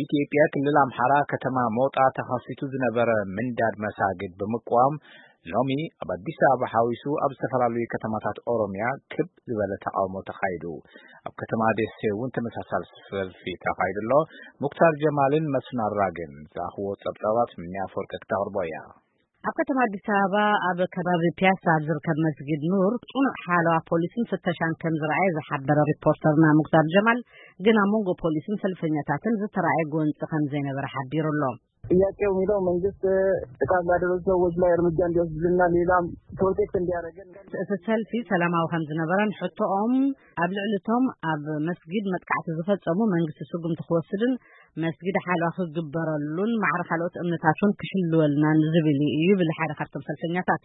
ኢትዮጵያ ክልል ኣምሓራ ከተማ ሞጣ ተኸሲቱ ዝነበረ ምንዳድ መሳግድ ብምቅዋም ሎሚ ኣብ ኣዲስ ኣበባ ሓዊሱ ኣብ ዝተፈላለዩ ከተማታት ኦሮሚያ ክብ ዝበለ ተቃውሞ ተኻይዱ። ኣብ ከተማ ደሴ እውን ተመሳሳሊ ሰልፊ ተኻይዱ ኣሎ። ሙክታር ጀማልን መስፍን ኣራግን ዝኣኽዎ ጸብጻባት ምንያ ኣፈወርቂ ክተቕርቦ እያ። ኣብ ከተማ ኣዲስ ኣበባ ኣብ ከባቢ ፒያሳ ኣብ ዝርከብ መስጊድ ኑር ጽኑዕ ሓለዋ ፖሊስን ፍተሻን ከም ዝረኣየ ዝሓበረ ሪፖርተርና ሙክታር ጀማል፣ ግን ኣብ መንጎ ፖሊስን ሰልፈኛታትን ዝተረኣየ ጎንፂ ከም ዘይነበረ ሓቢሩ ኣሎ። ጥያቄው የሚለው መንግስት ጥቃት ላደረሱ ሰዎች ላይ እርምጃ እንዲወስድና ሌላም ፕሮቴክት እንዲያደርገን። እቲ ሰልፊ ሰላማዊ ከም ዝነበረን ሕቶኦም ኣብ ልዕሊ እቶም ኣብ መስጊድ መጥቃዕቲ ዝፈጸሙ መንግስቲ ስጉምቲ ክወስድን መስጊድ ሓለዋ ክግበረሉን ማዕረ ካልኦት እምነታት እውን ክሕልወልናን ዝብል እዩ ይብል ሓደ ካብቶም ሰልፈኛታት።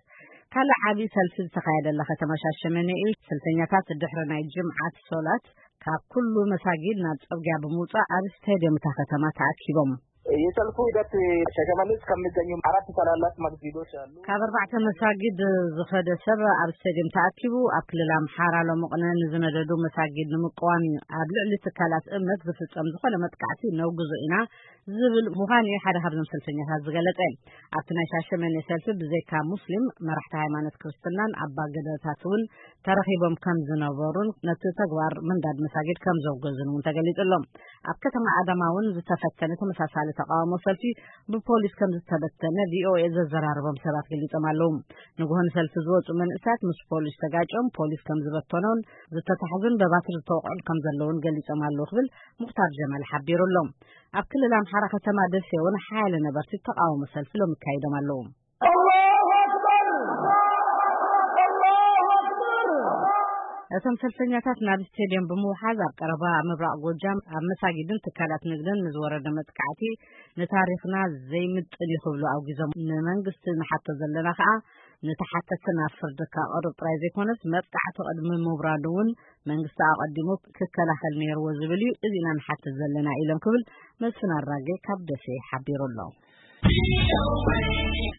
ካልእ ዓብዪ ሰልፊ ዝተኻየደላ ከተማ ሻሸመኔ እዩ። ሰልፈኛታት ድሕሪ ናይ ጅምዓት ሶላት ካብ ኩሉ መሳጊድ ናብ ጽርግያ ብምውጻእ ኣብ ስቴድየም እታ ከተማ ተኣኪቦም። የሰልፉ ሂደት ሸሸመኔ ውስጥ ከሚገኙ አራት ታላላቅ መስጊዶች አሉ። ካብ ኣርባዕተ መሳጊድ ዝኸደ ሰብ ኣብ ስቴድየም ተኣኪቡ ኣብ ክልል ኣምሓራ ሎሚ ቅነ ንዝነደዱ መሳጊድ ንምቅዋም እዩ። ኣብ ልዕሊ ትካላት እምነት ዝፍጸም ዝኾነ መጥቃዕቲ ነውግዞ ኢና ዝብል ምዃኑ እዩ ሓደ ካብዞም ሰልፈኛታት ዝገለጸ። ኣብቲ ናይ ሻሸመኔ ሰልፊ ብዘይካ ሙስሊም መራሕቲ ሃይማኖት ክርስትናን ኣባ ገዳታት እውን ተረኺቦም ከም ዝነበሩን ነቲ ተግባር ምንዳድ መሳጊድ ከም ዘውገዙን እውን ተገሊጹ ኣሎ። ኣብ ከተማ ኣዳማ እውን ዝተፈተነ ተመሳሳሊ ተቃውሞ ሰልፊ ብፖሊስ ከም ዝተበተነ ቪኦኤ ዘዘራረቦም ሰባት ገሊጾም ኣለዉ። ንግሆ ንሰልፊ ዝወጹ መንእሰያት ምስ ፖሊስ ተጋጭዮም ፖሊስ ከም ዝበተኖን ዝተታሕዙን በባትሪ ዝተወቕዑን ከም ዘለውን ገሊጾም ኣለዉ ክብል ሙክታር ጀማል ሓቢሩ ኣሎ። ኣብ ክልል ኣምሓራ ከተማ ደሴ እውን ሓያለ ነበርቲ ተቃውሞ ሰልፊ ሎም ይካይዶም ኣለዉ። እቶም ሰልፈኛታት ናብ ስቴድየም ብምውሓዝ ኣብ ቀረባ ምብራቕ ጎጃም ኣብ መሳጊድን ትካላት ንግድን ንዝወረደ መጥቃዕቲ ንታሪኽና ዘይምጥን እዩ ክብሉ ኣውጊዞም። ንመንግስቲ ንሓቶ ዘለና ከኣ ንተሓተቲ ናብ ፍርዲ ከቕርብ ጥራይ ዘይኮነስ መጥቃዕቲ ቅድሚ ምውራዱ እውን መንግስቲ ኣቐዲሙ ክከላኸል ነይርዎ ዝብል እዩ። እዚ ኢና ንሓትት ዘለና ኢሎም ክብል መስፍን ኣራጌ ካብ ደሴ ሓቢሩ ኣሎ።